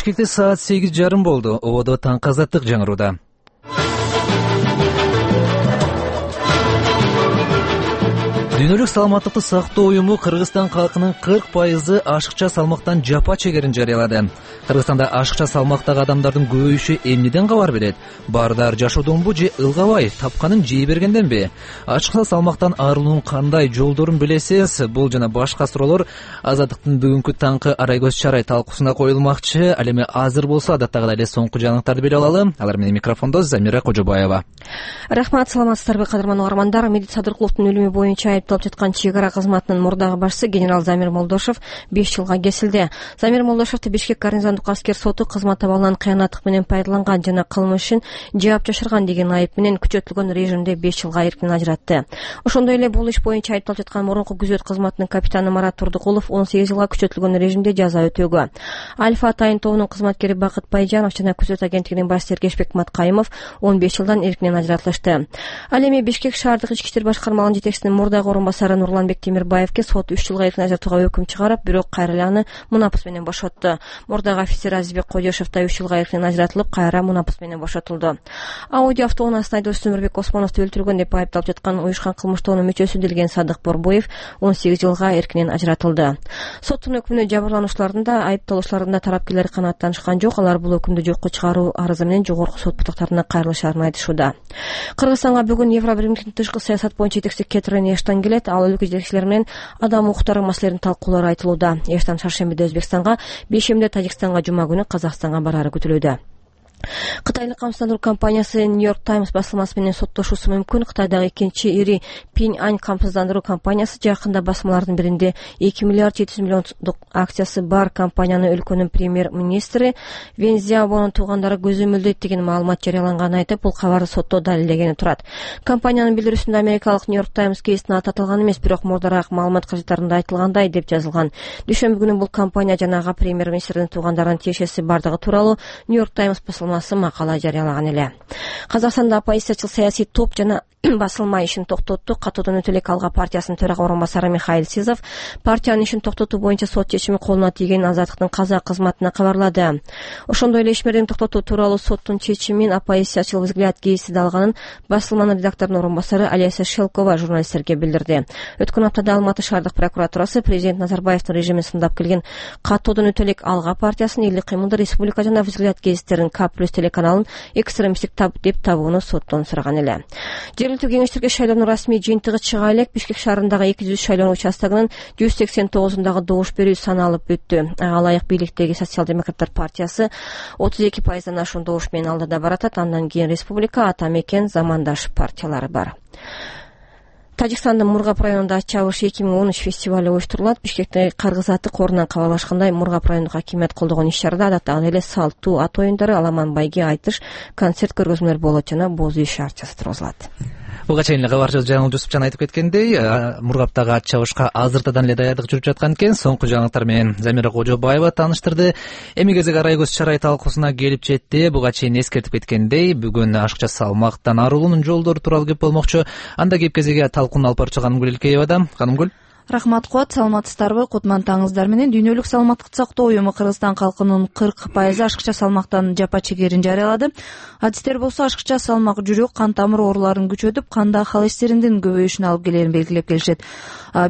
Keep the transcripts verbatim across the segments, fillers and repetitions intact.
Бишкекте саат сегиз жарым болду. Ободо таңкы азаттык жаңырууда. Дүйнөлүк саламаттыкты сактоо уюму Кыргызстан калкынын кырк пайызы ашыкча салмактан жапа чегерин жарыялады. Кыргызстанда ашыкча салмактагы адамдардын көбөйүшү эмнеден кабар берет? Баардар жашоодонбу же ылгабай тапканын жей бергенденби? Ашыкча салмактан арылуунун кандай жолдорун билесиз? Бул жана башка суроолор Азаттыктын бүгүнкү таңкы арай көз чарай талкуусуна коюлмакчы. Ал эми азыр болсо адаттагыдай эле соңку жаңылыктарды билип алалы. Алар менен микрофондо Замира Кожобаева. Рахмат, саламатсыздарбы кадырман угармандар. Медет Садыркуловдун өлүмү боюнча айыпталып жаткан чек ара кызматынын мурдагы башчысы генерал Замир Молдошев беш жылга кесилди. Замир Молдошевду Бишкек гарнизондук аскер соту кызмат абалынан кыянаттык менен пайдаланган жана кылмышын жаап жашырган деген айып менен күчөтүлгөн режимде беш жылга эркинен ажыратты. Ошондой эле бул иш боюнча айыпталып жаткан мурунку күзөт кызматынын капитаны Марат Турдукулов он сегиз жылга күчөтүлгөн режимде жаза өтөөгө. Альфа Атайын тобунун кызматкери Бакыт Байжанов жана күзөт агенттигинин баш сергешбек Маткайымов он беш жылдан эркинен ажыратылышты. Ал эми Бишкек шаардык ички иштер башкармалыгынын жетекчисинин мурдагы орун басары Нурланбек Темирбаевке сот үч жылга эркинен ажыратууга өкүм чыгарып, бирок кайра эле аны мунапыс менен бошотту. Мурдагы офицер Азизбек Кодешев да үч жылга эркинен ажыратылып, кайра мунапыс менен бошотулду. Ауди автоунаасынын айдоочусу Өмүрбек Осмоновду өлтүргөн деп айыпталып жаткан уюшкан кылмыштоонун мүчөсү Делген Садык Борбоев он сегиз жылга эркинен ажыратылды. Соттун өкүмүнө жабырлануучулардын да, айыпталуучулардын да тараптуулары канааттанышкан жок. Алар бул өкүмдү жокко чыгаруу арызы менен жогорку сот бутактарына кайрылышаарын айтышууда. Кыргызстанга бүгүн Евробиримдиктин тышкы саясат боюнча жетекчиси Кетрин Эштон келет. Ал өлкө жетекчилери менен адам укуктары маселелерин талкуулары айтылууда. Эштон шаршембиде Өзбекстанга, бейшембиде Тажикстанга, жума күнү Казакстанга барары күтүлүүдө. Кытайлык камсыздандыруу компаниясы New York Times басылмасы менен соттошуусу мүмкүн. Кытайдагы экинчи ири Пинь Ань камсыздандыруу компаниясы жакында басмалардын биринде эки миллиард жети жүз миллиондук акциясы бар компанияны өлкөнүн премьер-министри Вен Цзяобонун туугандары көзөмөлдөйт деген маалымат жарыялаганын айтып, бул кабарды сотто далилдегени турат. Компаниянын билдирүүсүндө америкалык New York Times кейсине аты аталган эмес, бирок мурдараак маалымат кажеттарында айтылгандай деп жазылган. Дүйшөмбү күнү бул компания жанагы премьер-министрдин туугандарынын тиешеси бардыгы тууралуу New York Times басылмасы макала жарыялаган эле. Казакстанда оппозициячыл саясий топ жана басылма ишин токтотту. Катуудан өтө эле Алга партиясынын төрага орун басары Михаил Сизов партиянын ишин токтотуу боюнча сот чечими колуна тийгенин Азаттыктын казак кызматына кабарлады. Ошондой эле ишмердин токтотуу тууралуу соттун чечимин оппозициячыл взгляд гезити да алганын басылманын редакторунун орун басары Олеся Шелкова журналисттерге билдирди. Өткөн аптада Алматы шаардык прокуратурасы президент Назарбаевдин режимин сындап келген катуудан өтө эле Алга партиясынын Элдик кыймылдар республика жана взгляд гезиттерин К плюс телеканалын экстремисттик таб деп табууну соттон сураган эле. Жергиликтүү кеңештерге шайлоонун расмий жыйынтыгы чыга элек. Бишкек шаарындагы эки жүз шайлоо участогунун жүз сексен тогузундагы добуш берүү саналып бүттү. Ага ылайык бийликтеги социал-демократтар партиясы отуз эки пайыздан ашуун добуш менен алдыда баратат. Андан кийин Республика, Ата мекен, Замандаш партиялары бар. Тажикстандын Мургап районунда Чабыш эки миң он үч фестивалы оюштурулат. Бишкектеги Каргыз аты корунан кабарлашкандай, Мургап райондук хакимият колдогон иш-чарада адаттагы эле салттуу ат оюндары, аламан байге, айтыш, концерт көргөзмөлөр болот жана боз үй шаарчасы тургузулат. Буга чейин эле кабарчыбыз Жаңыл Жусупжан айтып кеткендей, Мургаптагы ат чабышка азыртадан эле даярдык жүрүп жаткан экен. Соңку жаңылыктар менен Замира Кожобаева тааныштырды. Эми кезек арай көз чарай талкуусуна келип жетти. Буга чейин эскертип кеткендей, бүгүн ашыкча салмактан арылуунун жолдору тууралуу кеп болмокчу. Анда кеп кезеге талкууну алып барчу Канымгүл Илкеева да. Канымгүл. Рахмат Куат, саламатсыздарбы? Кутман таңыңыздар менен. Дүйнөлүк саламаттыкты сактоо уюму Кыргызстан калкынын кырк пайызы ашыкча салмактан жапа чегерин жарыялады. Адистер болсо ашыкча салмак жүрөк, кан тамыр ооруларын күчөтүп, канда холестериндин көбөйүшүнө алып келерин белгилеп келишет.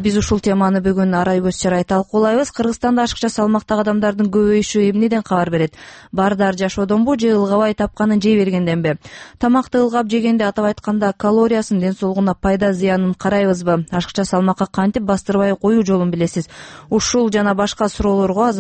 Биз ушул теманы бүгүн арай көз чарай талкуулайбыз. Кыргызстанда ашыкча салмактагы адамдардын көбөйүшү эмнеден кабар берет? Баардар жашоодонбу же ылгабай тапканын жей бергенденби? Тамакты ылгап жегенде, атап айтканда, калориясын, ден соолугуна пайда зыянын карайбызбы? Ашыкча салмакка кантип бастырбай коюу жолун билесиз? Ушул жана башка суроолорго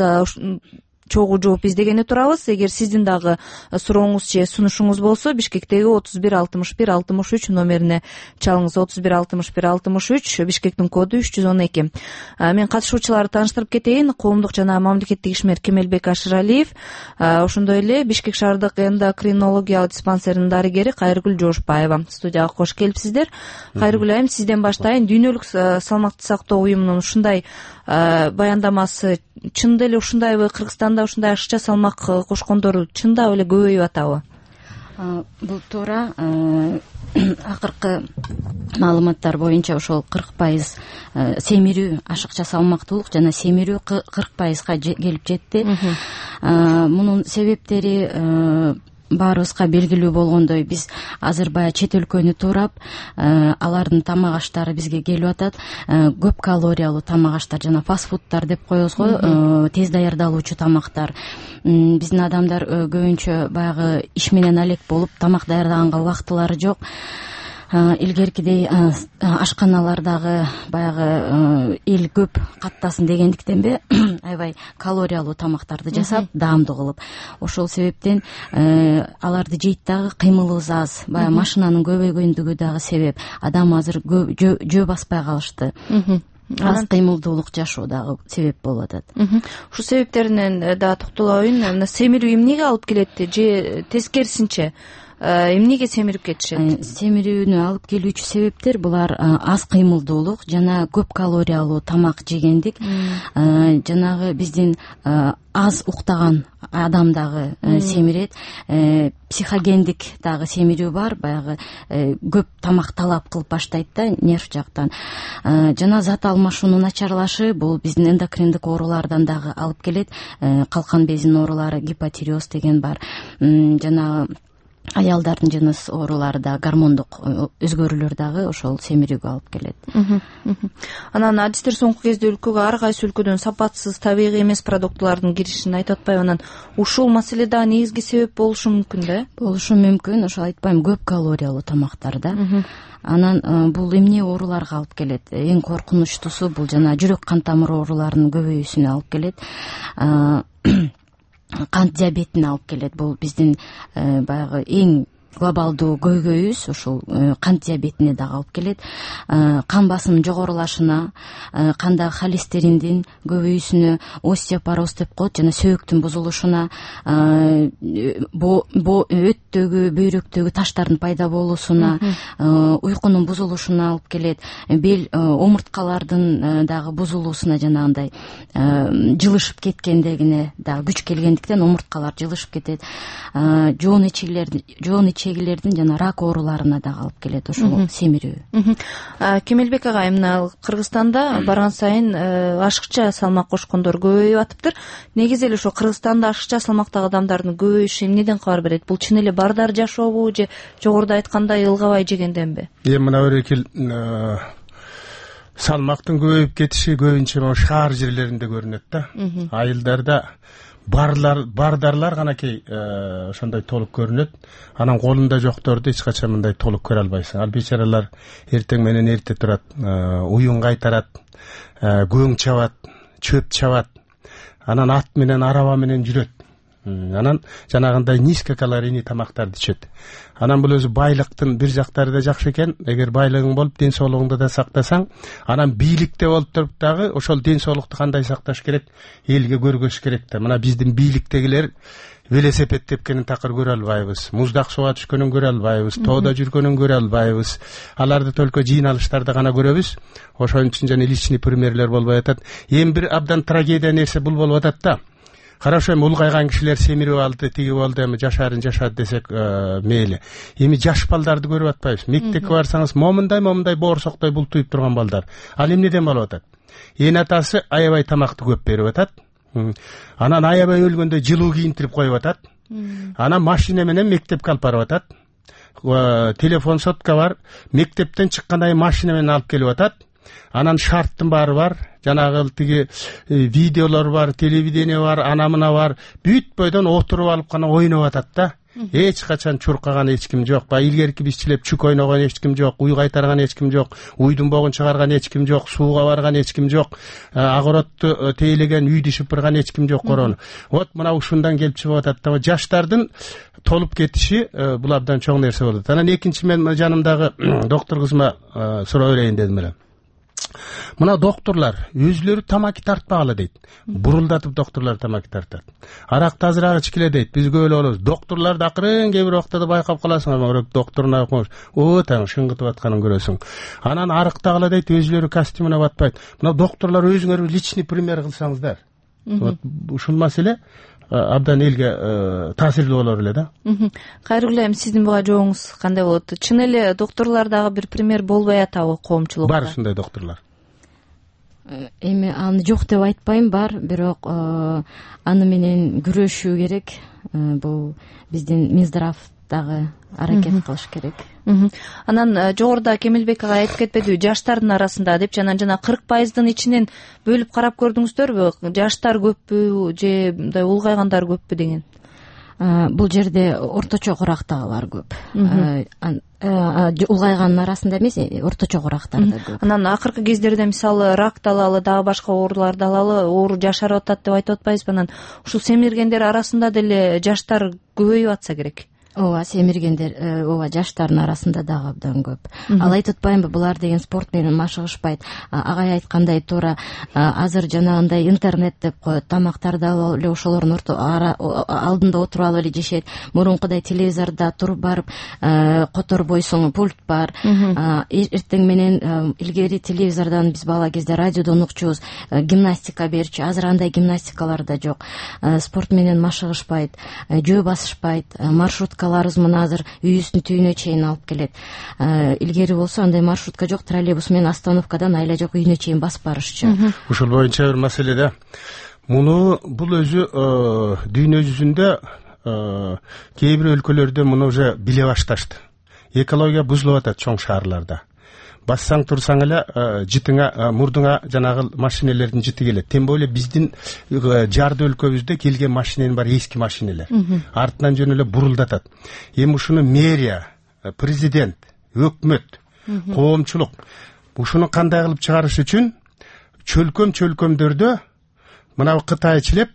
чогуу жооп издегени турабыз. Эгер сиздин дагы сурооңуз же сунушуңуз болсо, Бишкектеги отуз бир алтымыш бир алтымыш үч номерине чалыңыз. отуз бир алтымыш бир алтымыш үч, Бишкектин коду үч жүз он эки. Мен катышуучуларды тааныштырып кетейин. Коомдук жана мамлекеттик ишмер Кемелбек Ашыралиев, ошондой эле Бишкек шаардык эндокринологиялык диспансеринин дарыгери Кайргүл Жошбаева. Студияга кош келипсиздер. Кайргүл айым, сизден баштайын. Дүйнөлүк салмакты сактоо уюмунун ушундай баяндамасы чында эле ушундайбы? Кыргызстанда ушундай ашыкча салмак кошкондор чындап эле көбөйүп атабы? Бул туура. Акыркы маалыматтар боюнча ошол кырк пайыз семирүү, ашыкча салмактуулук жана семирүү кырк пайызга келип жетти. мунун себептери баарыбызга белгилүү болгондой, биз азыр баягы чет өлкөнү туурап, алардын тамак аштары бизге келип атат. Көп калориялуу тамак аштар, жана фастфудтар деп коебуз го, тез даярдалуучу тамактар. Биздин адамдар көбүнчө баягы иш менен алек болуп, тамак даярдаганга убактылары жок. Илгеркидей ашканалардагы баягы эл көп каттасын дегендиктенби аябай калориялуу тамактарды жасап, даамдуу кылып, ошол себептен аларды жейт дагы кыймылыбыз аз. Баягы машинанын көбөйгөндүгү дагы себеп. Адам азыр жөө баспай калышты. Аз кыймылдуулук жашоо дагы себеп болуп атат. Ушул себептеринен дагы токтолоюн. Семирүү эмнеге алып келет же тескерисинче эмнеге семирип кетишет? Семирүүнү алып келүүчү себептер булар аз кыймылдуулук жана көп калориялуу тамак жегендик. Жанагы биздин аз уктаган адам дагы семирет. Психогендик дагы семирүү бар, баягы көп тамак талап кылып баштайт да нерв жактан. Жана зат алмашуунун начарлашы бул биздин эндокриндик оорулардан дагы алып келет. Калкан безинин оорулары, гипотиреоз деген бар. Жана аялдардын жыныс оорулары да, гормондук өзгөрүүлөр дагы ошол семирүүгө алып келет. Анан адистер соңку кезде өлкөгө ар кайсы өлкөдөн сапатсыз, табигый эмес продуктулардын киришин айтып атпайбы? Анан ушул маселе дагы негизги себеп болушу мүмкүн да? Болушу мүмкүн. Ошол айтпайм, көп калориялуу тамактар да. Анан бул эмне ооруларга алып келет? Эң коркунучтуусу бул жана жүрөк кан тамыр ооруларынын көбөйүүсүнө алып келет. Кант диабетине алып келет. Бул биздин баягы эң глобалдуу көйгөйүбүз, ушул кант диабетине дагы алып келет. Кан басымынын жогорулашына, кандагы холестериндин көбөйүүсүнө, остеопороз деп коет, жана сөөктүн бузулушуна, өттөгү, бөйрөктөгү таштардын пайда болуусуна, уйкунун бузулушуна алып келет. Бел омурткалардын дагы бузулуусуна, жанагындай жылышып кеткендегине дагы күч келгендиктен омурткалар жылышып кетет. Жоон ичегилердин жоон ичегилердин жана рак ооруларына дагы алып келет ошол семирүү. Кемелбек агай, мына Кыргызстанда барган сайын ашыкча салмак кошкондор көбөйүп атыптыр. Негизи эле ошо Кыргызстанда ашыкча салмактагы адамдардын көбөйүшү эмнеден кабар берет? Бул чын эле бардар жашообу же жогоруда айткандай ылгабай жегенденби? Эми мына өрекил салмактын көбөйүп кетиши көбүнчө могу шаар жерлеринде көрүнөт да. Айылдарда барлар бардарлар канакей ошондой толук көрүнөт. Анан колунда жокторду эч качан мындай толук көрө албайсың. Ал бечаралар эртең менен эрте турат, уюн кайтарат, көң чабат, чөп чабат. Анан ат менен, араба менен жүрөт. Анан жанагындай низкокалорийный тамактарды ичет. Анан бул өзү байлыктын бир жактары да жакшы экен. Эгер байлыгың болуп, ден соолугуңду да сактасаң, анан бийликте болуп туруп дагы ошол ден соолукту кандай сакташ керек, элге көргөзүш керек да. Мына биздин бийликтегилер велосипед тепкенин такыр көрө албайбыз, муздак сууга түшкөнүн көрө албайбыз, тоодо жүргөнүн көрө албайбыз. Аларды только жыйналыштарда гана көрөбүз. Ошон үчүн жана личный примерлер болбой атат. Эми бир абдан трагедия нерсе бул болуп атат да. Хорошо, эми улгайган кишилер семирип алды, тиги болду, эми жашарын жашады десек мейли. Эми жаш балдарды көрүп атпайбыз. Мектепке барсаңыз, момундай момундай боорсоктой бултуйуп турган балдар. Ал эмнеден болуп атат? Эне атасы аябай тамакты көп берип атат. Анан аябай өлгөндө жылуу кийинтирип коюп атат. Анан машина менен мектепке алып барып атат. Телефон сотка бар, мектептен чыккандай машина менен алып келип атат. Анан шарттын баары бар, жанагы тиги видеолор бар, телевидение бар, анамына бар. Бүт бойдон отуруп алып гана ойноп атат да. Эч качан чуркаган эч ким жок. Ба илгерки бизчилеп чүк ойногон эч ким жок, уй кайтарган эч ким жок, уйдун богун чыгарган эч ким жок, сууга барган эч ким жок, огородду тейлеген, үйдү шыпырган эч ким жок корону. Вот мына ушундан келип чыгып атат да. Жаштардын толуп кетиши бул абдан чоң нерсе болот. Анан экинчи мен жанымдагы доктор кызыма суроо берейин дедим эле. Мына доктурлар өзүлөрү тамаки тартпагыла дейт. Бурулдатып доктурлар тамаки тартат. Аракты азыраак ичкиле дейт. Биз көп эле болобуз. Доктурларды акырын кээ бир убактада байкап каласың, ама доктурун акмаш. О, таң шыңгытып атканын көрөсүң. Анан арыктагыла дейт, өзүлөрү костюмуна батпайт. Мына доктурлар өзүңөр личный пример кылсаңыздар. Вот ушул маселе абдан элге таасирлүү болор эле да. Кайрылуу, эми сиздин буга жообуңуз кандай болот? Чын эле доктурлар дагы бир пример болбой атабы коомчулукка? Бар ушундай доктурлар. эми аны жок деп айтпайм, бар, бирок аны менен күрөшүү керек. Бул биздин Минздрав дагы аракет кылыш керек. Анан жогоруда Кемелбек ага айтып кетпедиби, жаштардын арасында деп, жана жана кырк пайыздын ичинен бөлүп карап көрдүңүздөрбү? Жаштар көппү же мындай улгайгандар көппү деген? Бул жерде орточо курактагылар көп. Улгайгандын арасында эмес, орточо курактарда көп. Анан акыркы кездерде мисалы рак алалы, дагы башка ооруларды алалы, оору жашарып атат деп айтып атпайбызбы? Анан ушул семиргендер арасында деле жаштар көбөйүп атса керек. Ооба, семиргендер, ооба, жаштардын арасында дагы абдан көп. Ал айтып атпаймынбы, булар деген спорт менен машыгышпайт. Агай айткандай туура, азыр жанагындай интернет деп коет, тамактарды алып эле ошолордун алдында отуруп алып эле жешет. Мурункудай телевизордо туруп барып которбойсуң, пульт бар. Эртең менен илгери телевизордон биз бала кезде радиодон укчубуз, гимнастика берчү. Азыр андай гимнастикалар да жок. Спорт менен машыгышпайт, жөө басышпайт, маршрутка мына азыр үйүбүздүн түйүнө чейин алып келет. Илгери болсо андай маршрутка жок, троллейбус менен остановкадан айла жок үйүнө чейин басып барышчу. Ушул боюнча бир маселе да. Муну бул өзү дүйнө жүзүндө кээ бир өлкөлөрдө муну уже биле башташты. Экология бузулуп атат чоң шаарларда. Бассаң турсаң эле жытыңа, мурдуңа жанагы машинелердин жыты келет. Тем более биздин жарды өлкөбүздө келген машиненин баары эски машинелер. Артынан жөн эле бурулдатат. Эми ушуну мэрия, президент, өкмөт, коомчулук ушуну кандай кылып чыгарыш үчүн чөлкөм-чөлкөмдөрдө мына кытайчилеп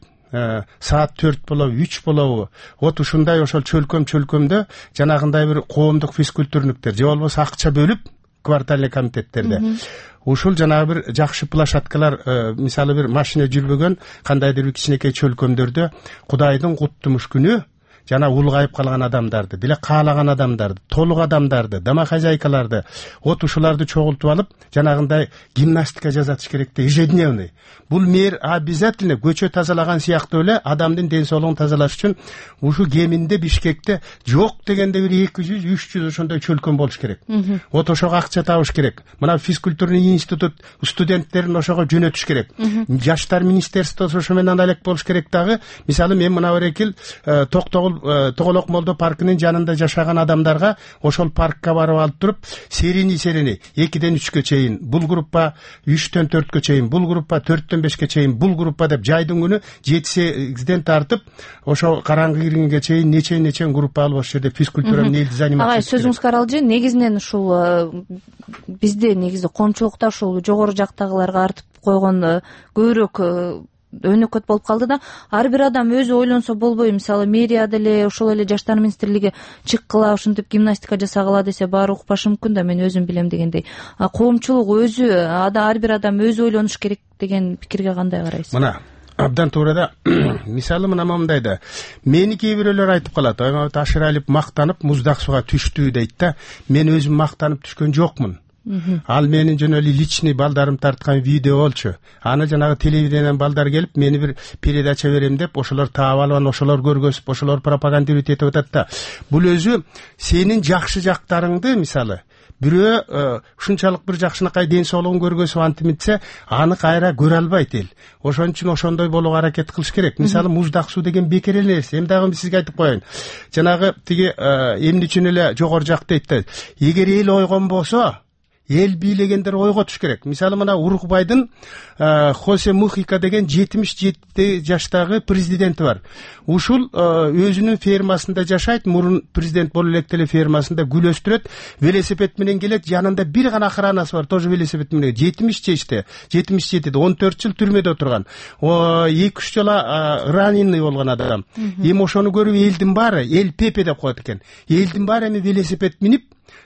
саат төрт болобу, үч болобу, вот ушундай ошол чөлкөм-чөлкөмдө жанагындай бир коомдук физкультурниктер же болбосо акча бөлүп квартальный комитеттерде ушул жанагы бир жакшы площадкалар, мисалы бир машина жүрбөгөн кандайдыр бир кичинекей чөлкөмдөрдө Кудайдын куттумуш күнү жана улгайып калган адамдарды, биле каалаган адамдарды, толук адамдарды, домохозяйкаларды, вот ушуларды чогултуп алып, жанагындай гимнастика жасатыш керек да, ежедневный. Бул мэр обязательно көчө тазалаган сыяктуу эле адамдын ден соолугун тазалаш үчүн ушу кеминде Бишкекте жок дегенде бир эки жүз үч жүз ошондой чөлкөм болуш керек. Вот ошого акча табыш керек. Мына физкультурный институт студенттерин ошого жөнөтүш керек. Жаштар министерствосу ошо менен алек болуш керек дагы. Мисалы мен мына Орекил Токтогул Тоголок Молдо паркынын жанында жашаган адамдарга ошол паркка барып алып туруп, серини серини экиден үчкө чейин, бул группа үчтөн төрткө чейин, бул группа төрттөн бешке чейин, бул группа деп жайдын күнү жети сегизден тартып, ошо караңгы киргенге чейин нече нече группа алып ошол жерде физкультура менен элди заниматься. Агай, сөзүңүзгө аралжы, негизинен ушул бизде негизи коомчулукта ушул жогору жактагыларга артып койгон көбүрөөк өнөкөт болуп калды да, ар бир адам өзү ойлонсо болбойбу. Мисалы мэрия деле ошол эле жаштар министрлиги чыккыла, ушинтип гимнастика жасагыла десе баары укпашы мүмкүн да, мен өзүм билем дегендей. Коомчулук өзү, ар бир адам өзү ойлонуш керек деген пикирге кандай карайсыз? Мына абдан туура да. Мисалы мына мындай да. Мени кээ бирөөлөр айтып калат, Ашыралиев мактанып муздак сууга түштү дейт да. Мен өзүм мактанып түшкөн жокмун. Ал менин жөн эле личный балдарым тарткан видео болчу. Аны жанагы телевиденияден балдар келип, мени бир передача берем деп, ошолор таап алып, ошолор көргөзүп, ошолор пропагандировать этип атат да. Бул өзү сенин жакшы жактарыңды, мисалы, бирөө ушунчалык бир жакшынакай ден соолугун көргөзүп антимитсе, аны кайра көрө албайт эл. Ошон үчүн ошондой болууга аракет кылыш керек. Мисалы муздак суу деген бекер эле нерсе. Эми дагы сизге айтып коеюн. Жанагы тиги эмне үчүн эле жогору жак дейт да. Эгер эл ойгон болсо, эл бийлегендер ойго туш керек. Мисалы мына Уругвайдын Хосе Мухика деген жетимиш жети жаштагы президенти бар. Ушул өзүнүн фермасында жашайт, мурун президент болуп элек деле фермасында гүл өстүрөт, велосипед менен келет, жанында бир гана охранасы бар, тоже велосипед менен. жетимиш жашта, жетимиш жетиде он төрт жыл түрмөдө отурган. эки үч жыл раненый болгон адам. Эми ошону көрүп элдин баары, эл Пепе деп коет экен. Элдин баары эми велосипед минип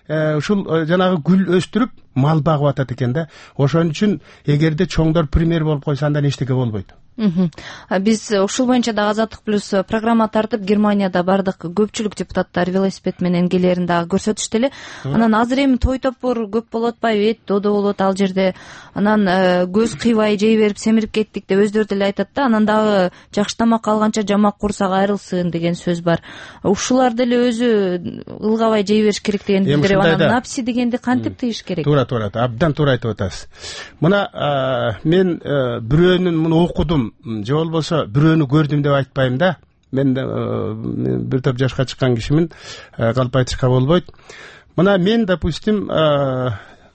ушул жанагы гүл өстүрүп мал багып атат экен да. Ошон үчүн эгерде чоңдор пример болуп койсо, андан эчтеке болбойт. Биз ушул боюнча дагы Азаттык плюс программа тартып Германияда бардык көпчүлүк депутаттар велосипед менен келерин дагы көрсөтүштү эле. Анан азыр эми той топур көп болуп атпайбы, эт додо болот ал жерде. Анан көз кыйбай жей берип семирип кеттик деп өздөрү деле айтат да. Анан дагы жакшы тамак алганча жамак курсак айрылсын деген сөз бар. Ушулар деле өзү ылгабай жей бериш керек деген билдирип, анан напси дегенди кантип тыйыш керек? Туура, туура, абдан туура айтып атасыз. Мына мен бирөөнүн муну окудум же болбосо бирөөнү көрдүм деп айтпайм да. Мен бир топ жашка чыккан кишимин, калп айтышка болбойт. Мына мен, допустим,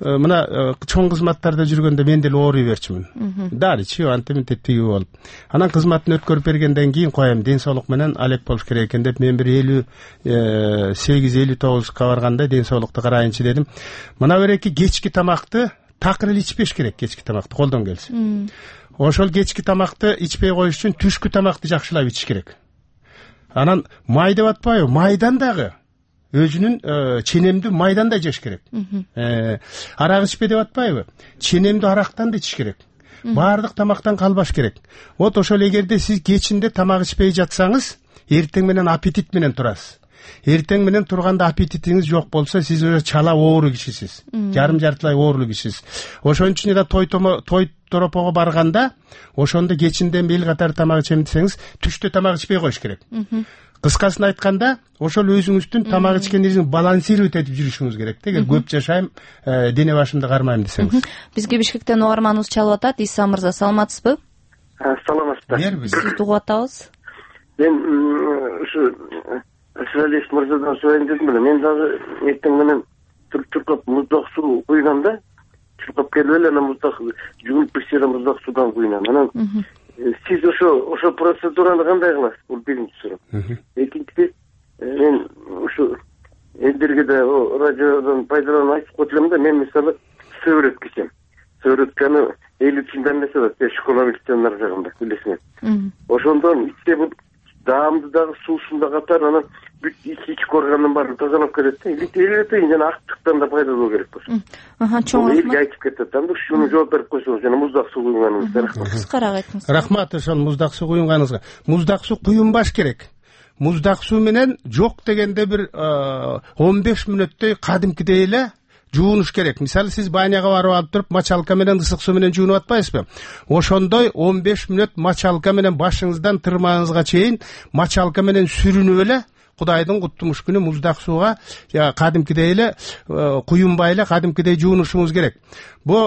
мына чоң кызматтарда жүргөндө мен деле ооруй берчүмүн. Дарычы, антиминти тиги болуп. Анан кызматын өткөрүп бергенден кийин коем, ден соолук менен алек болуш керек экен деп мен бир элүү сегиз элүү тогузга барганда ден соолукту карайынчы дедим. Мына береки кечки тамакты такыр эле ичпеш керек, кечки тамакты колдон келсе. Ошол кечки тамакты ичпей коюш үчүн түшкү тамакты жакшылап ичиш керек. Анан май деп атпайбы? Майдан дагы өзүнүн ченемдүү майдан да жеш керек. Арак ичпе деп атпайбы? Ченемдүү арактан да ичиш керек. Баардык тамактан калбаш керек. Вот ошол эгерде сиз кечинде тамак ичпей жатсаңыз, эртең менен аппетит менен турасыз. Эртең менен турганда аппетитиңиз жок болсо, сиз уже чала оору кишисиз. Жарым жартылай оорулуу кишисиз. Ошон үчүн да той той торопого барганда, ошондо кечинде эл катары тамак ичем десеңиз, түштө тамак ичпей коюш керек. Кыскасын айтканда, ошол өзүңүздүн тамак ичкениңизди балансировать этип жүрүшүңүз керек. Эгер көп жашайм, дене башымды кармайм десеңиз. Бизге Бишкектен угарманыбыз чалып атат. Иса мырза, саламатсызбы? Саламатсызбы. Сизди угуп атабыз. Мен ушу Сиз мырзадан сурайын дедим эле. Мен дагы эртең менен чуркап муздак суу куйгам да. Чуркап келип эле анан муздак жуунуп бирсе муздак суудан куйнам. Анан сиз ошо ошо процедураны кандай кыласыз? Бул биринчи суроо. Экинчиси, мен ушу элдерге да радиодон пайдаланып айтып коелем да, мен мисалы сыворотка ичем. Сыворотканы элүү тиындан эмесе да, школа мектебинин ар жагында билесиңер. Ошондон ичсе бул даамды дагы суусун да катар, анан бүт ички органдын баарын тазалап келет да. Элүү тыйын жана актыктан да пайда болуу керек болсо. Аха, чоң рахмат. Элге айтып кетет. Анда ушуну жооп берип койсоңуз, жана муздак суу куйганыңызда рахмат. Кыскараак айтыңыз. Рахмат ошол муздак суу куйганыңызга. Муздак суу куюнбаш керек. Муздак суу менен жок дегенде бир он беш мүнөттөй кадимкидей эле жуунуш керек. Мисалы, сиз баняга барып алып туруп, мочалка менен ысык суу менен жуунуп атпайсызбы? Ошондой он беш мүнөт мочалка менен башыңыздан тырмагыңызга чейин мочалка менен сүрүнүп эле Кудайдын куттумуш күнү муздак сууга кадимкидей эле куюнбай эле кадимкидей жуунушуңуз керек. Бу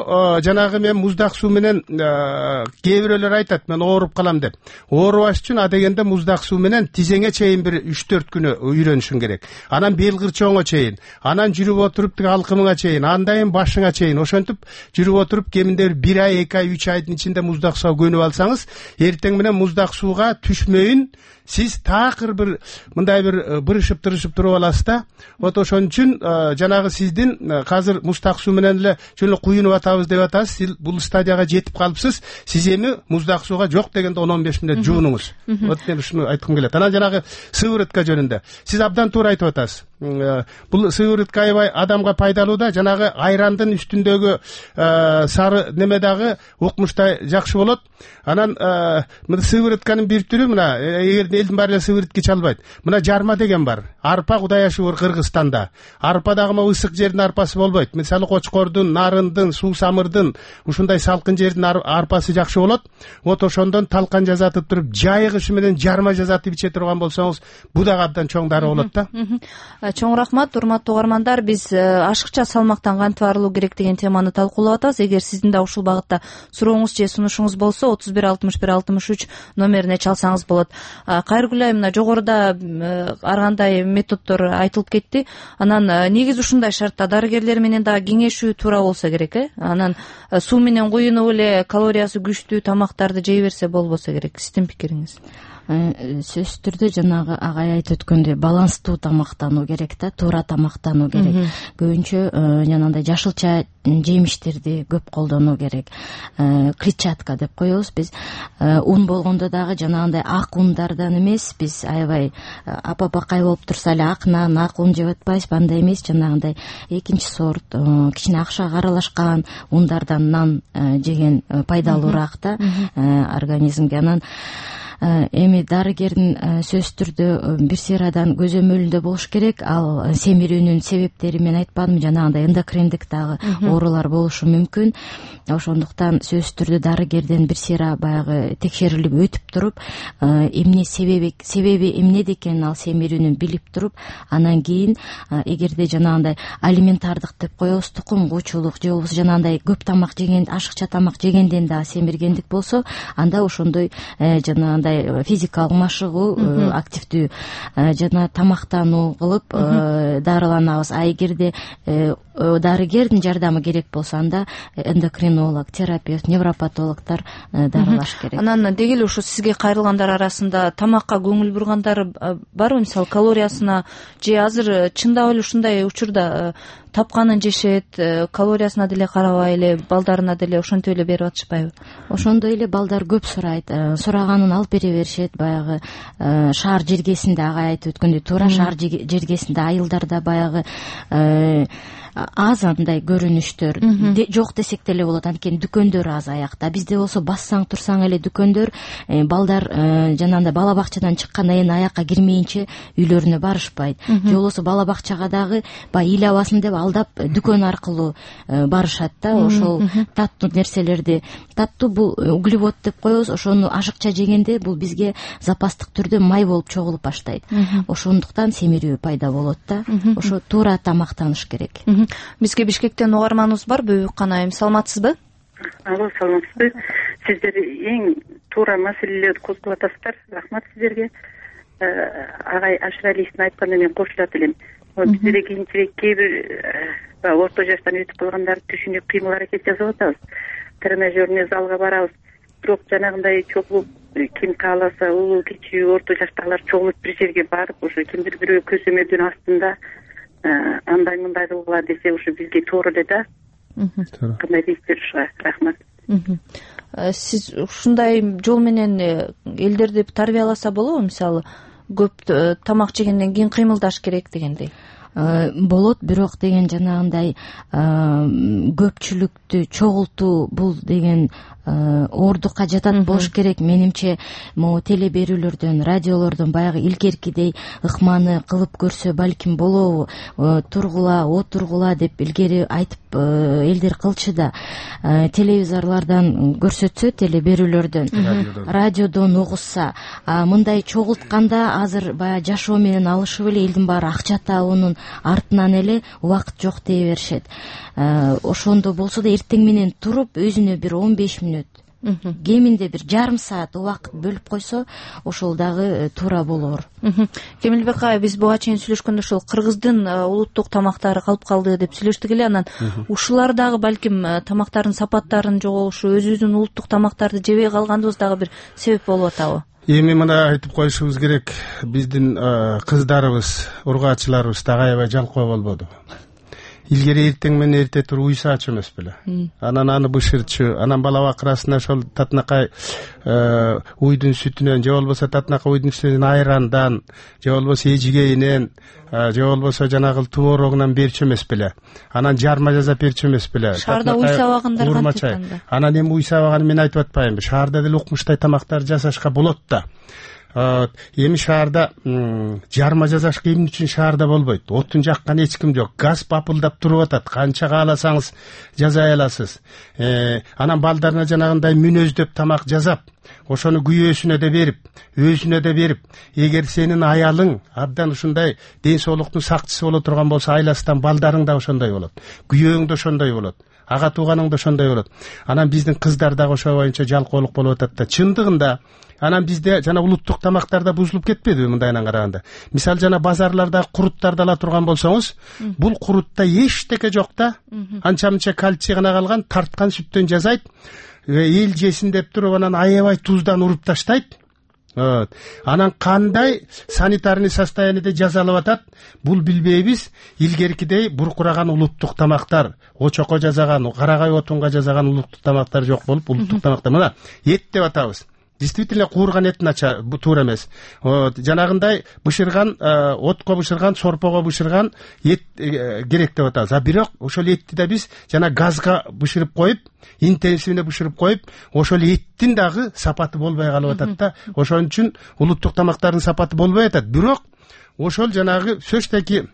жанагы мен муздак суу менен кээ бирөөлөр айтат, мен ооруп калам деп. Оорубаш үчүн адегенде муздак суу менен тизеңе чейин бир үч төрт күнү үйрөнүшүң керек. Анан бел кырчооңо чейин, анан жүрүп отуруп тиги алкымыңа чейин, андайын башыңа чейин ошентип жүрүп отуруп кеминде бир ай, эки ай, үч айдын ичинде муздак сууга көнүп алсаңыз, эртең менен муздак сууга түшмөйүн, сиз такыр бир мындай бир бырышып тырышып туруп аласыз да. Вот ошон үчүн жанагы сиздин азыр муздак суу менен эле жөн эле куюнуп атабыз деп атасыз. Сиз бул стадияга жетип калыпсыз. Сиз эми муздак сууга жок дегенде он он беш мүнөт жуунуңуз. Вот мен ушуну айткым келет. Анан жанагы сыворотка жөнүндө сиз абдан туура айтып атасыз. Бул сыворотка аябай адамга пайдалуу да, жанагы айрандын үстүндөгү сары неме дагы укмуштай жакшы болот. Анан мына сыворотканын бир түрү, мына эгер элдин баары эле сыворотка иче албайт, мына жарма деген бар. Арпа Кудай ашы бар Кыргызстанда. Арпа дагы могу ысык жердин арпасы болбойт. Мисалы кочкордун, нарындын, суу самырдын, ушундай салкын жердин арпасы жакшы болот. Вот ошондон талкан жазатып туруп, жайгышы менен жарма жазатып иче турган болсоңуз, бул дагы абдан чоң дары болот да. Чоң рахмат, урматтуу угармандар. Биз ашыкча салмактан кантип арылуу керек деген теманы талкуулап атабыз. Эгер сиздин да ушул багытта сурооңуз же сунушуңуз болсо, отуз бир алтымыш бир алтымыш үч номерине чалсаңыз болот. Кайргүл айым, мына жогоруда ар кандай методдор айтылып кетти. Анан негизи ушундай шартта дарыгерлер менен дагы кеңешүү туура болсо керек, э? Анан суу менен куюнуп эле калориясы күчтүү тамактарды жей берсе болбосо керек. Сиздин пикириңиз? сөзсүз түрдө жанагы агай айтып өткөндөй баланстуу тамактануу керек да, туура тамактануу керек. Көбүнчө жанагындай жашылча жемиштерди көп колдонуу керек. Клетчатка деп коебуз биз. Un болгондо дагы жанагындай ак ундардан эмес, биз аябай апа-бакай болуп турса эле ак нан, ак ун жеп атпайбыз, андай эмес, жанагындай экинчи сорт кичине акшага аралашкан ундардан нан жеген пайдалуураак да организмге. Анан эми дарыгердин сөзсүз түрдө бир сыйрадан көзөмөлүндө болуш керек. Ал семирүүнүн себептери мен айтпадым, жанагындай эндокриндик дагы оорулар болушу мүмкүн. Ошондуктан сөзсүз түрдө дарыгерден бир сыйра баягы текшерилип өтүп туруп, эмне себеби себеби эмнеде экенин ал семирүүнүн билип туруп, анан кийин эгерде жанагындай алиментардык деп коебуз, тукум куучулук же болбосо жанагындай көп тамак жеген, ашыкча тамак жегенден дагы семиргендик болсо, анда ошондой жанагындай физикалык машыгуу, активдүү жана тамактануу кылып дарыланабыз. А эгерде дарыгердин жардамы керек болсо, анда эндокринолог, терапевт, невропатологдор дарылаш керек. Анан деги эле ушу сизге кайрылгандар арасында тамакка көңүл бургандар барбы? Мисалы калориясына, же азыр чындап эле ушундай учурда тапканын жешет, калориясына деле карабай эле, балдарына деле ошентип эле берип атышпайбы? Ошондой эле балдар көп сурайт, сураганын алып бере беришет. Баягы шаар жергесинде агай айтып өткөндөй, туура шаар жергесинде айылдарда баягы аз андай көрүнүштөр жок десек деле болот, анткени дүкөндөр аз аякта. Бизде болсо бассаң турсаң эле дүкөндөр, балдар жанагындай бала бакчадан чыкканда эми аякка кирмейинче үйлөрүнө барышпайт. Же болбосо бала бакчага дагы баягы ил абасын деп алдап дүкөн аркылуу барышат да. Ошол таттуу нерселерди, таттуу бул углевод деп коебуз, ошону ашыкча жегенде бул бизге запастык түрдө май болуп чогулуп баштайт. Ошондуктан семирүү пайда болот да. Ошо туура тамактаныш керек. Бизге Бишкектен угарманыбыз бар, Бөбүк айым, саламатсызбы? Алло, саламатсызбы? Сиздер эң туура маселелерди козгоп атасыздар. Рахмат сиздерге. Агай Ашыралиевдин айтканына мен кошулат элем. Бизде кийинчерээк кээ бир орто жаштан өтүп калгандар түшүнүп кыймыл аракет жасап атабыз. Тренажерный залга барабыз. Бирок жанагындай чогулуп, ким кааласа, улуу кичүү орто жаштагылар чогулуп бир жерге барып, ошо кимдир бирөө көзөмөлдүн астында андай мындай кылгыла десе, ушу бизге туура эле да. Кандай дейсиздер ушуга? Рахмат. Сиз ушундай жол менен элдерди тарбияласа болобу? Мисалы, көп тамак жегенден кийин кыймылдаш керек дегендей. Болот, бирок деген жанагындай көпчүлүктү чогултуу бул деген ордукка жатат болуш керек. Менимче могу теле берүүлөрдөн, радиолордон баягы илгеркидей ыкманы кылып көрсө балким болобу, тургула, отургула деп илгери айтып элдер кылчу да. Телевизорлордон көрсөтсө, теле берүүлөрдөн, радиодон угузса, мындай чогултканда азыр баягы жашоо менен алышып эле элдин баары акча табуунун артынан эле убакыт жок дей беришет. Ошондо болсо да эртең менен туруп өзүнө бир он беш мүнөт, кеминде бир жарым саат убакыт бөлүп койсо, ошол дагы туура болор. Кемилбек агай, биз буга чейин сүйлөшкөндө ошол кыргыздын улуттук тамактары калып калды деп сүйлөштүк эле. Анан ушулар дагы балким тамактардын сапаттарын жоголушу, өзүбүздүн улуттук тамактарды жебей калганыбыз дагы бир себеп болуп атабы? Эми мына айтып коюшубуз керек, биздин кыздарыбыз, ургаачыларыбыз дагы аябай жалкоо болбоду. Илгери эртең менен эрте туруп уйсаачу эмес беле. Анан аны бышырчу, анан бала бакырасына ошол татынакай уйдун сүтүнөн, же болбосо татынакай уйдун сүтүнөн айрандан, же болбосо эжигейинен, же болбосо жанагы творогунан берчү эмес беле. Анан жарма жасап берчү эмес беле. Шаарда уй сабагандар кантип? Анан эми уй сабаганы мен айтып атпайбынбы? Шаарда деле укмуштай тамактар жасашка болот да. Эми шаарда жарма жасашка эмне үчүн шаарда болбойт? Отун жаккан эч ким жок. Газ бапылдап туруп атат. Канча кааласаңыз жасай аласыз. Анан балдарына жанагындай мүнөздөп тамак жасап, ошону күйөөсүнө да берип, өзүнө да берип, эгер сенин аялың абдан ушундай ден соолуктун сакчысы боло турган болсо, айласынан балдарың да ошондой болот. Күйөөң да ошондой болот. Ага тууганың да ошондой болот. Анан биздин кыздар дагы ошо боюнча жалкоолук болуп атат да. Чындыгында анан бизде жана улуттук тамактарда бузулуп кетпедиби мындайынан караганда? Мисалы жана базарларда куруттарды ала турган болсоңуз, бул курутта эчтеке жок да. Анча-мынча кальций гана калган, тарткан сүттөн жасайт. Эл жесин деп туруп анан аябай туздан уруп таштайт. Вот. Анан кандай санитарный состояниеде жазалап атат, бул билбейбиз. Илгеркидей буркураган улуттук тамактар, очокко жасаган, карагай отунга жасаган улуттук тамактар жок болуп, улуттук тамактар мына эт деп атабыз. Действительно куурган эт нача туура эмес. Вот. Жанагындай бышырган, отко бышырган, сорпого бышырган эт керек деп атабыз. А бирок ошол этти да биз жана газга бышырып коюп, интенсивне бышырып коюп, ошол эттин дагы сапаты болбой калып атат да. Ошон үчүн улуттук тамактардын сапаты болбой атат. Бирок ошол жанагы сөзтеки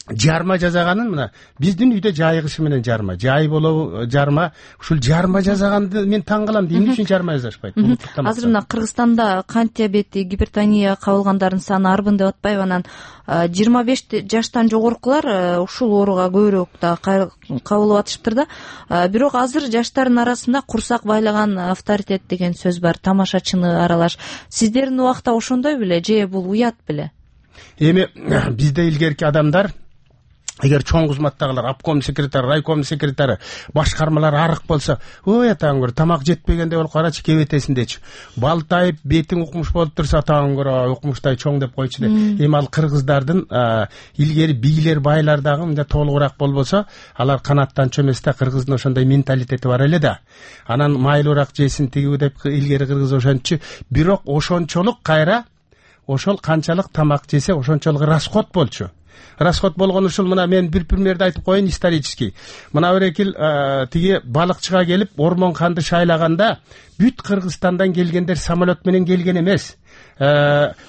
жарма жасаганын мына биздин үйдө жайгышы менен жарма, жай болобу жарма, ушул жарма жасаганды мен таң калам. Эмне үчүн жарма жасашпайт? Азыр мына Кыргызстанда кант диабети, гипертония кабылгандардын саны арбын деп атпайбы? Анан жыйырма беш жаштан жогоркулар ушул ооруга көбүрөөк да кабылып атышыптыр да. Бирок азыр жаштардын арасында курсак байлаган авторитет деген сөз бар, тамашачыны аралаш. Сиздердин убакта ошондой беле же бул уят беле? Эми бизде илгерки адамдар эгер чоң кызматтагылар, обком секретары, райком секретары, башкармалар арык болсо, ой атаң көрө тамак жетпегенде болуп карачы кебетесиндечи. Балтайып, бетиң укмуш болуп турса атаң көрө укмуштай чоң деп койчу де. Эми ал кыргыздардын илгери бийлер, байлар дагы мындай толугураак болбосо, алар канаттанчу эмес да, кыргыздын ошондой менталитети бар эле да. Анан майлуураак жесин тигиби деп илгери кыргыз ошончу. Бирок ошончолук кайра ошол канчалык тамак жесе ошончолук расход болчу. Расход болгон ушул мына мен бир примерди айтып коеюн исторический. Мына Өрекил тиги балыкчыга келип ормон канды шайлаганда бүт Кыргызстандан келгендер самолет менен келген эмес.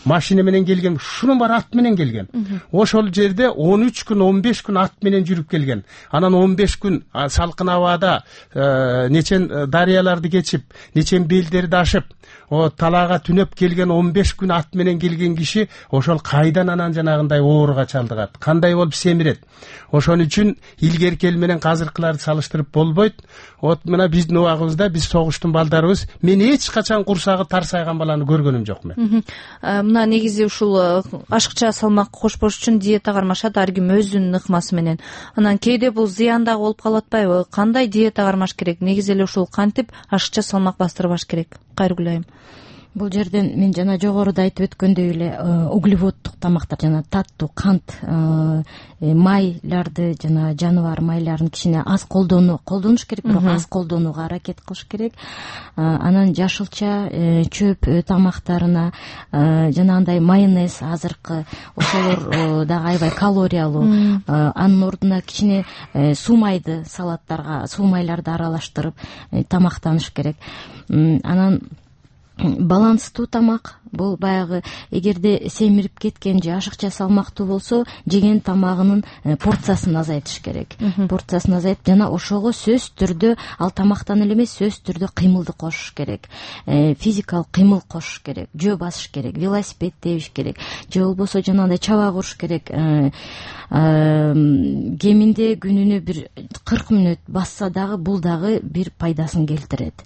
Машина менен келген, шунун бар ат менен келген. Ошол жерде он үч күн, он беш күн ат менен жүрүп келген. Анан он беш күн салкын абада нечен дарыяларды кечип, нечен белдерди ашып, о талаага түнөп келген он беш күн ат менен келген киши ошол кайдан анан жанагындай ооруга чалдыгат, кандай болуп семирет. Ошон үчүн илгерки эл менен азыркыларды салыштырып болбойт. Вот мына биздин убагыбызда биз согуштун балдарыбыз, мен эч качан курсагы тарсайган баланы көргөнүм жок мен. Мына негизи ушул ашыкча салмак кошпош үчүн диета кармашат ар ким өзүнүн ыкмасы менен. Анан кээде бул зыян дагы болуп калып атпайбы? Кандай диета кармаш керек? Негизи эле ушул кантип ашыкча салмак бастырбаш керек? Кайргүл айым. Бул жерден мен жана жогоруда айтып өткөндөй эле углеводдук тамактар, жана таттуу кант, майларды, жана жаныбар майларын кичине аз колдонуу, колдонуш керек, бирок аз колдонууга аракет кылыш керек. Анан жашылча, чөп тамактарына, жанагындай майонез, азыркы ошолор дагы аябай калориялуу. Анын ордуна кичине суу майды салаттарга, суу майларды аралаштырып тамактаныш керек. Анан баланстуу тамак, бул баягы эгерде семирип кеткен же ашыкча салмактуу болсо, жеген тамагынын порциясын азайтыш керек. Порциясын азайтып, жана ошого сөзсүз түрдө ал тамактан эле эмес, сөзсүз түрдө кыймылды кошуш керек. Физикалык кыймыл кошуш керек, жөө басыш керек, велосипед тебиш керек, же болбосо жанагындай чаба куруш керек. Кеминде күнүнө бир кырк мүнөт басса дагы бул дагы бир пайдасын келтирет.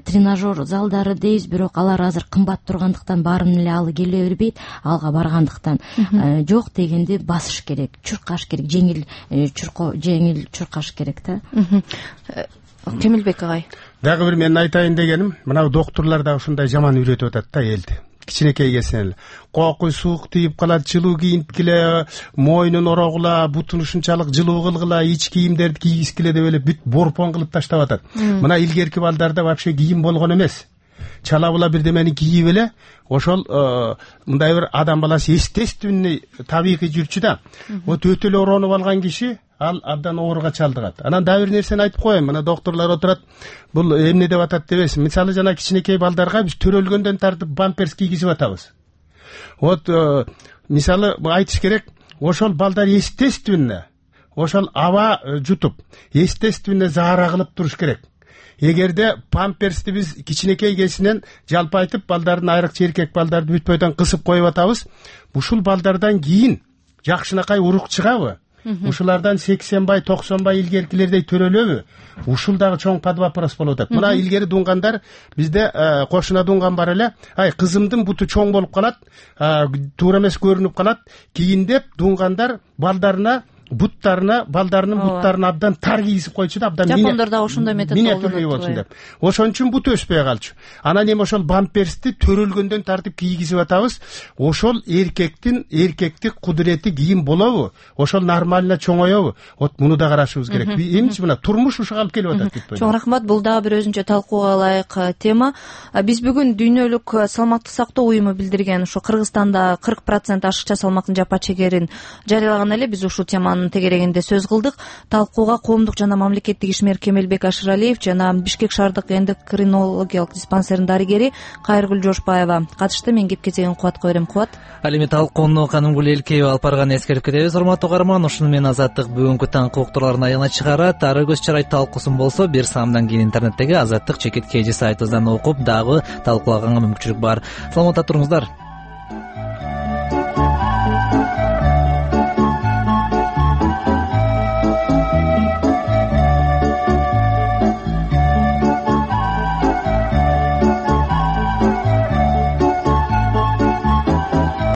Тренажер залдары дейбиз, бирок алар азыр кымбат тургандыктан баарын эле алы келе бербейт, алга баргандыктан жок дегенде басыш керек, чуркаш керек, жеңил чурко, жеңил чуркаш керек да. Темилбек агай. Дагы бир мен айтайын дегеним, мына доктурлар да ушундай жаман үйрөтүп атат да элди. Кичинекей кесен эле кокуй суук тийип калат, жылуу кийинткиле, мойнун орогула, бутун ушунчалык жылуу кылгыла, ич кийимдерди кийгискиле деп эле бүт борпон кылып таштап атат. Мына илгерки балдарда вообще кийим болгон эмес. Чала була бирдемени кийип эле ошол мындай бир адам баласы естественный, табигый жүрчү да. Вот өтө эле оронуп алган киши ал абдан ооруга чалдыгат. Анан дагы бир нерсени айтып коеюн. Мына доктурлар отурат, бул эмне деп атат дебесин. Мисалы жана кичинекей балдарга биз төрөлгөндөн тартып бамперс кийгизип атабыз. Вот мисалы айтыш керек, ошол балдар естественно, ошол аба жутуп, естественно заара кылып туруш керек. Эгерде памперсти биз кичинекей кесинен жалпы айтып, балдардын айрыкча эркек балдарды бүт бойдон кысып коюп атабыз, ушул балдардан кийин жакшынакай урук чыгабы? Ушулардан сексен бай, токсон бай илгеркилердей төрөлөбү? Ушул дагы чоң под вопрос болуп атат. Мына илгери дуңгандар бизде кошуна дуңган бар эле. Ай, кызымдын буту чоң болуп калат, туура эмес көрүнүп калат. Кийин деп дуңгандар балдарына буттарына, балдарынын буттарына абдан тар кийгизип койчу да, абдан жапондор да ошондой метод миниатюрный болсун деп. Ошон үчүн бут өспөй калчу. Анан эми ошол бамперсти төрөлгөндөн тартып кийгизип атабыз. Ошол эркектин эркектик кудурети кийин болобу? Ошол нормально чоңоёбу? Вот муну да карашыбыз керек. Эмчи мына турмуш ушуга алып келип атат деп. Чоң рахмат. Бул дагы бир өзүнчө талкууга ылайык тема. Биз бүгүн дүйнөлүк салмактык сактоо уюму билдирген ушу Кыргызстанда кырк процент ашыкча салмактын жапа чегерин жарыялаган эле биз ушул теманын тегерегинде сөз кылдык. Талкууга коомдук жана мамлекеттик ишмер Кемелбек Ашыралиев жана Бишкек шаардык эндокринологиялык диспансердин дарыгери Кайыргүл Жошбаева катышты. Мен кеп кезегин Кубатка берем. Кубат. Ал эми талкууну Канымгүл Элкеева алып барганын эскерип кетебиз. Урматтуу угарман, ушуну менен Азаттык бүгүнкү таң уктурларын аягына чыгарат. Ары көз чарай талкуусун болсо бир саамдан кийин интернеттеги Азаттык чекит кж сайтыбыздан окуп дагы талкуулаганга мүмкүнчүлүк бар. Саламатта туруңуздар.